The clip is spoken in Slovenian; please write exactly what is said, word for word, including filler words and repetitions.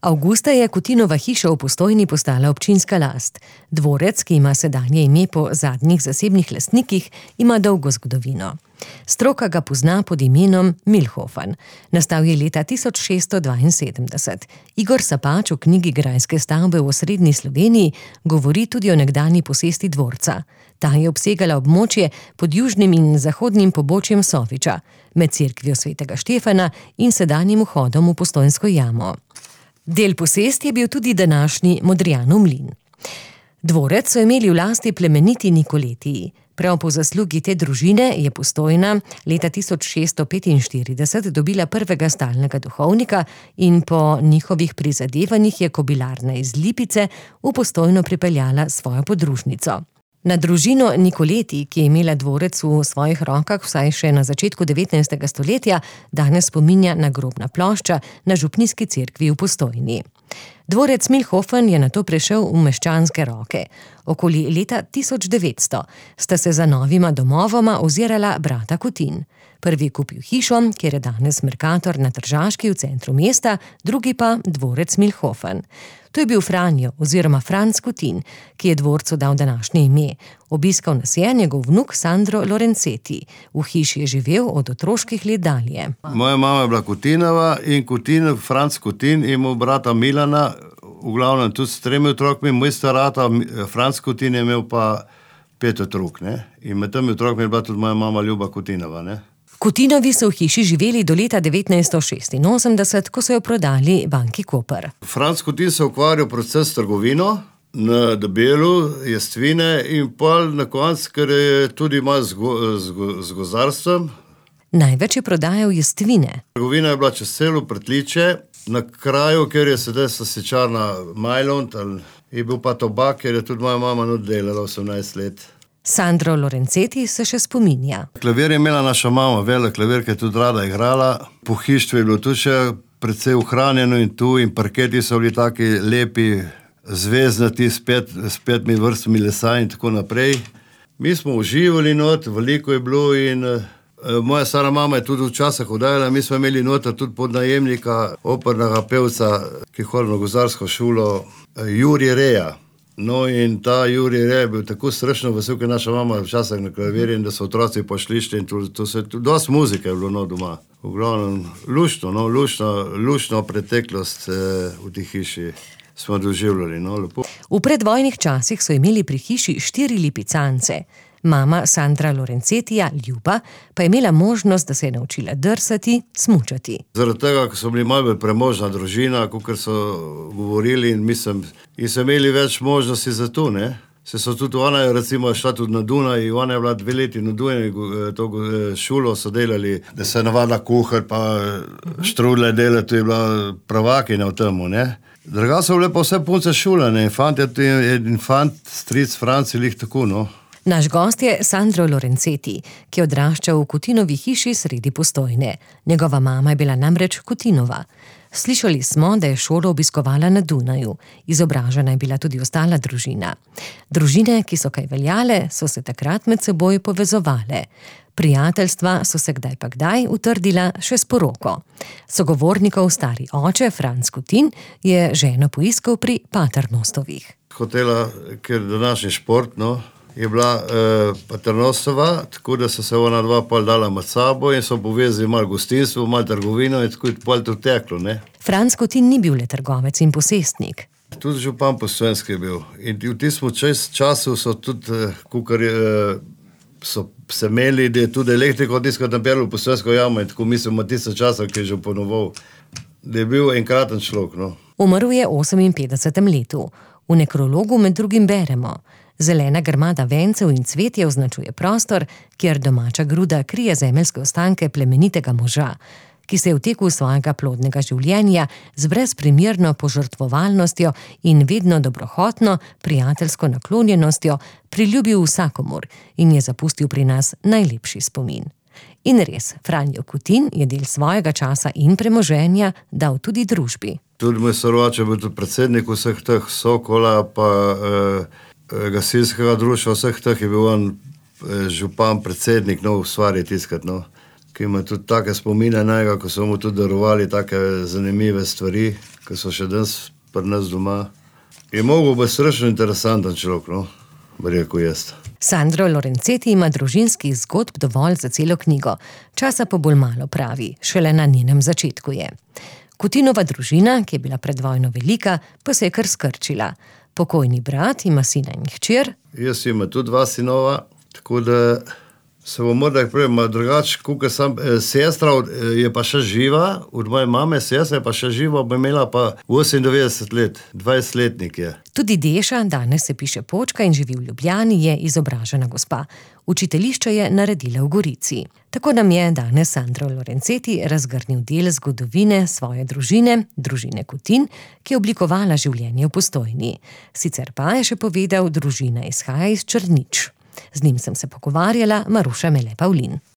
Avgusta je Kutinova hiša v Postojni postala občinska last. Dvorec, ki ima sedanje ime po zadnjih zasebnih lastnikih, ima dolgo zgodovino. Stroka ga pozna pod imenom Milhofen. Nastal je leta tisoč šeststo dvainsedemdeset. Igor Sapač v knjigi Grajske stavbe v osrednji Sloveniji govori tudi o nekdanji posesti dvorca. Ta je obsegala območje pod južnim in zahodnim pobočjem Soviča, med cerkvijo svetega Štefana in sedanjim vhodom v Postojnsko jamo. Del posesti je bil tudi današnji Modrijanov mlin. Dvorec so imeli v lasti plemeniti Nikoletiji. Prav po zaslugi te družine je Postojna leta tisoč šeststo petinštirideset dobila prvega stalnega duhovnika in po njihovih prizadevanjih je kobilarna iz Lipice v Postojno pripeljala svojo podružnico. Na družino Nikoleti, ki je imela dvorec v svojih rokah vsaj še na začetku devetnajstega stoletja, danes spominja nagrobna plošča na župnijski cerkvi v Postojni. Dvorec Milhofen je nato prešel v meščanske roke. Okoli leta tisoč devetsto sta se za novima domovoma ozirala brata Kutin. Prvi je kupil hišo, kjer je danes Mercator na Tržaški v centru mesta, drugi pa dvorec Milhofen. To je bil Franjo oziroma Franc Kutin, ki je dvorcu dal današnje ime. Obiskal nas je njegov vnuk Sandro Lorenceti. V hiši je živel od otroških let dalje. Moja mama je bila Kutinova in Kutin, Franc Kutin, imel brata Milana, v glavnem tudi s tremi otrokmi, moj starata, Franc Kutin je imel pa pet otrok, ne. In med temi otrokmi je bila tudi moja mama Ljuba Kutinova, ne. Kutinovi so v hiši živeli do leta devetnajststo šestinosemdeset, ko so jo prodali banki Koper. Franc Kutin se ukvarjal predvsem s trgovino na Debelu, Jestvine in pol na koncu, ker je tudi malo z, go, z, go, z gozdarstvom. Največ je prodajal Jestvine. Trgovina je bila čez celo Pretliče, na kraju, kjer je sedaj sosečarna Majlont, je bil pa tobak, ker je tudi moja mama oddelala osemnajst let. Sandro Lorenceti se še spominja. Klavir je imela naša mama, velik klavir, ki je tudi rada igrala. Pohištvo je bilo tudi še precej ohranjeno in tu, in parketi so bili taki lepi, zvezdnati, s, pet, s petimi vrstami lesa in tako naprej. Mi smo uživali not, veliko je bilo in uh, moja stara mama je tudi včasih oddajala. Mi smo imeli nota tudi podnajemnika, opernega pevca, ki hodil na gozdarsko šolo, uh, Jurij Reja. No in ta Jurij Rej je bil tako strašno vesel, ker naša mama včasih na klavir in da so otroci pošlišli in to, to se, dosti muzike je bilo no doma. V glavnem, luštno, no, luštno, luštno preteklost eh, v tej hiši smo doživljali, no, lepo. V predvojnih časih so imeli pri hiši štiri lipicance. Mama Sandra Lorencetija, Ljuba, pa je imela možnost, da se je naučila drsati, smučati. Zaradi tega, ko so bili malo bolj premožna družina, kakor so govorili in mislim, in so imeli več možnosti za to, ne. Se so tudi ona je recimo šla tudi na Dunaj, ona je bila dve leti na Dunaj, to šolo so delali, da se navadila kuhar, pa štrudle delati, to je bila prvakinja v temu, ne. Druga so bile pa vse punce šolane, fant je infant, stric Franc je lih tako, no. Naš gost je Sandro Lorenceti, ki je odraščal v Kutinovi hiši sredi Postojne. Njegova mama je bila namreč Kutinova. Slišali smo, da je šolo obiskovala na Dunaju. Izobražena je bila tudi ostala družina. Družine, ki so kaj veljale, so se takrat med seboj povezovale. Prijateljstva so se kdaj pa kdaj utrdila še s poroko. Sogovornikov stari oče, Franc Kutin, je ženo poiskal pri Paternostovih. Hotela, ker današnji šport, no, je bila eh, Paternostova, tako da so se ona dva pol dala med sabo in so povezali malo gostinstvo, malo trgovino in tako je pol to teklo, ne. Franc Kutin ni bil le trgovec in posestnik. Tudi župan Postojnski je bil. In v tistem čas, času so tudi, eh, kukar je, eh, so se imeli, da je tudi elektriko tiskati napelo v Postojnsko jamo in tako mislim, v tistem času, ki je že ponoval, da je bil enkraten človek, no. Umrl je v oseminpetdesetem letu. V nekrologu med drugim beremo: zelena grmada vencev in cvetje označuje prostor, kjer domača gruda krije zemeljske ostanke plemenitega moža, ki se je v teku svojega plodnega življenja z brezprimerno požrtvovalnostjo in vedno dobrohotno, prijateljsko naklonjenostjo priljubil vsakomur in je zapustil pri nas najlepši spomin. In res, Franjo Kutin je del svojega časa in premoženja dal tudi družbi. Tudi moj sorovač je bil tudi predsednik vseh teh Sokola, pa eh, gasilskega društva, vseh teh je bil on župan, predsednik, no, v stvari tiskati, no. Ki ima tudi take spomine najga, ko so mu tudi darovali take zanimive stvari, ki so še danes pri nas doma. Je mogel biti strašno interesanten človek, no, bi rekel jaz. Sandro Lorenceti ima družinskih zgodb dovolj za celo knjigo. Časa pa bolj malo, pravi, šele na njenem začetku je. Kutinova družina, ki je bila pred vojno velika, pa se je kar skrčila. Pokojni brat ima sina in hčer. Jaz imam tudi dva sinova, tako da se bom morda prej, drugače, kakor sem, sestra je pa še živa, od moje mame sestra je pa še živa, bo imela pa osemindevetdeset let, dvajsetletnik je. Tudi Deša, danes se piše Počka in živi v Ljubljani, je izobražena gospa. Učiteljišče je naredila v Gorici. Tako nam je danes Sandro Lorenceti razgrnil del zgodovine svoje družine, družine Kutin, ki je oblikovala življenje v Postojni. Sicer pa je še povedal, družina izhaja iz Črnič. Z njim sem se pogovarjala, Maruša Mele Pavlin.